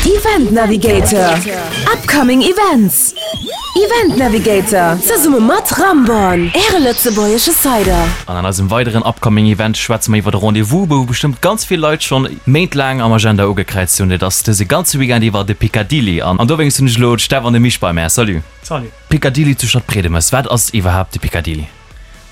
Event Navigator, Upcoming Events. Event Navigator, zesumme mat Ramborn, Äre lëtzebuergesche Cider. An an eisem weideren Upcoming Event schwätze mer iwwer e Rendez-vous, wou bestëmmt ganz vill Leit schonn méintlaang am Agenda ugekräizt hunn. Et ass dëse ganze Weekend iwwer de Picadilly. An dowéinst hunn ech elo d'Steff an de Misch bei mär. Salut. Salut. Picadilly zu Stadtbredemes, wat ass iwwerhaapt de Picadilly?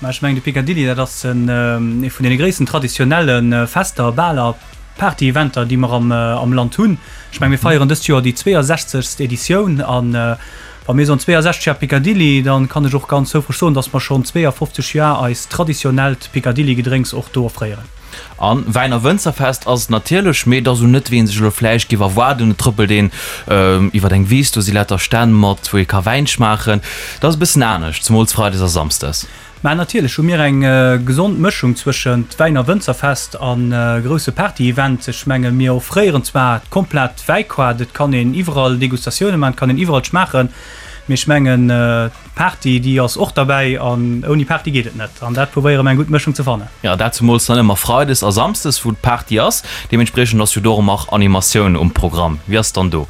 Mä ech mengen, de Picadilly, dat ass ee vun deene gréissten traditionelle Fester, Baler, Party-Eventer, déi mer am Land hunn. Ech mengen, mir feieren dëst Joer déi 62. Editioun. A wa mir soen 62 Jar Picadilly, da kann ech och ganz houfreg soen, datt mer schonn 52 Jar eist traditionellt Picadilly-Gedrénks och do offréieren. A Wäin a Wënzerfest ass et natierlech, mee et ass esou net, wéi ee sech elo vläicht géif erwaarden. Et trëppelt een iwwer eng Wiss, do si lauter Stänn mat, wou ee ka Wäin schmaachen. Dat ass e bëssen anescht, zemools freides a samsdes. Mä natierlech hu mir eng gesond Mëschung zwëschent Wäin a Wënzerfest a grousse Party-Event. Ech menge mir offréieren zwar d'komplett Wäikaart, et kann een iwwerall Degustatioune maachen, et kann een iwwerall schmaachen, mee ech mengen d'Party déi ass och derbäi an ouni Party geet et net. An dat probéiere mer eng gutt Mëschung ze fannen. Jo, dat zemools dann ëmmer freides a samsdes, wou d'Party ass. Deementspriechend ass jo do och ëmmer Animatioun um Programm. Wéi ass et dann do?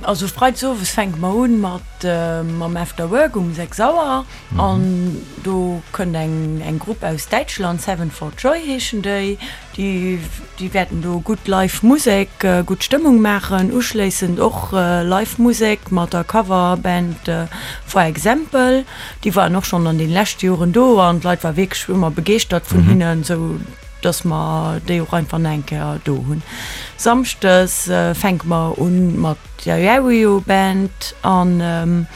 Also freides owes fänke mer un mat mam After Work um 6 Auer an do kënnt eng eng Grupp aus Däitschland, Seven for Joy heeschen déi. Déi déi wäerten do gutt live Musek, gutt Stëmmung maachen. Uschléissend och live Musek mat der Coverband For Example. Déi waren och schonn an den leschte Joren do an d'Leit war wierklech ëmmer begeeschtert vun hinnen, sou dass mer déi och einfach nach eng Kéier do hunn. Samschdes fänke mer un mat der Yario Band an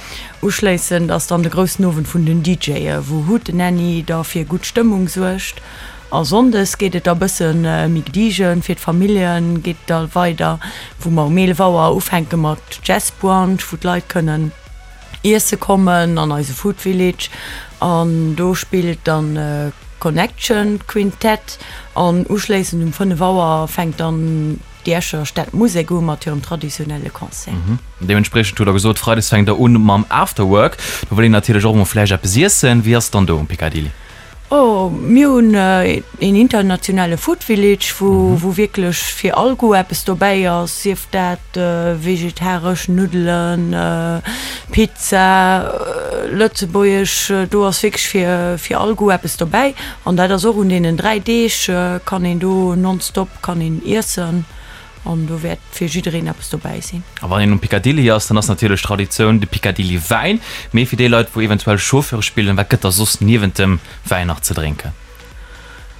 uschléissend ass dann de groussen Owend vun den DJe wou Hootenanny da fir gutt Stëmmung suergt. A Sonndes geet et da bësse méi gediegen, fir d'Famillje geet et da weider wou mer um 11 Auer ufänke mat Jazz Brunch wou d'Leit kënnen Iesse kommen an eise Food Village an do spillt dann Connection Quintett an uschléissend um 5 Auer fänkt dann déi Escher Stadmusek u mat hirem traditionelle Concert. Deementspriechend hutt der gesot, Freides fänkt der un mam Afterwork. Do wëll een natierlech och emol vläicht eppes iessen. Wéi ass et dann do um Picadilly? Oh, mir hunn een internationale Food Village, wou wou wierklech fir all Goût eppes dobäi ass, sief dat vegetaresch Nuddelen, Pizza, lëtzebuergesch, do ass wierklech fir fir all Goût eppes dobäi. An dat ass och un deenen 3 Deeg kann een do nonstop kann een iessen. An do wäert fir jiddereen eppes dobäi sinn. A wann een um Picadilly ass, dann ass natierlech Traditioun de Picadilly Wäin. Mee fir déi Leit, wou eventuell Chauffeure spillen, wat gëtt da soss niewent dem Wäin nach ze drénken?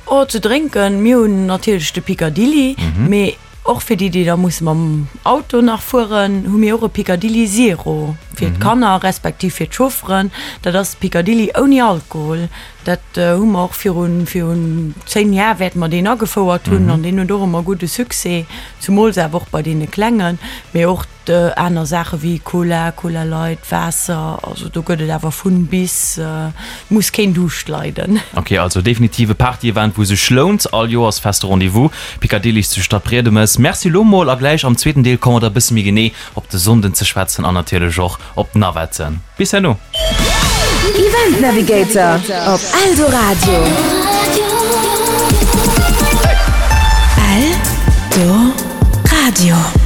Oh, ze drénken, mir hunn natierlech de Picadilly, mee och fir déi, déi da musse mam Auto nach fueren, hu mir och e Picadilly Zero fir d'Kanner respektiv fir d'Chaufferen. Dat ass Picadilly ouni Alkohol. Dat hu mer och virun, virun 10 Jar wäerte mer deen agefouert hunn an deen huet och ëmmer gudde Succès, zumools awer och bei deene Klengen, mee och aner Saache wéi Cola, Cola Light, Waasser, also do gëtt et awer vun bis, et muss keen Duuscht leiden. Ok, also definitiv e Party-Event wou sech lount, all Joers feste Rendez-vous, Picadilly's zu Stadbriedemes. Merci lo mol a gläich am zweeten Deel komme mer da bësse méi genee op de Sonnden ze schwätzen an natierlech och op d'Navetten. Bis herno! Event Navigator op Eldoradio. Eldoradio.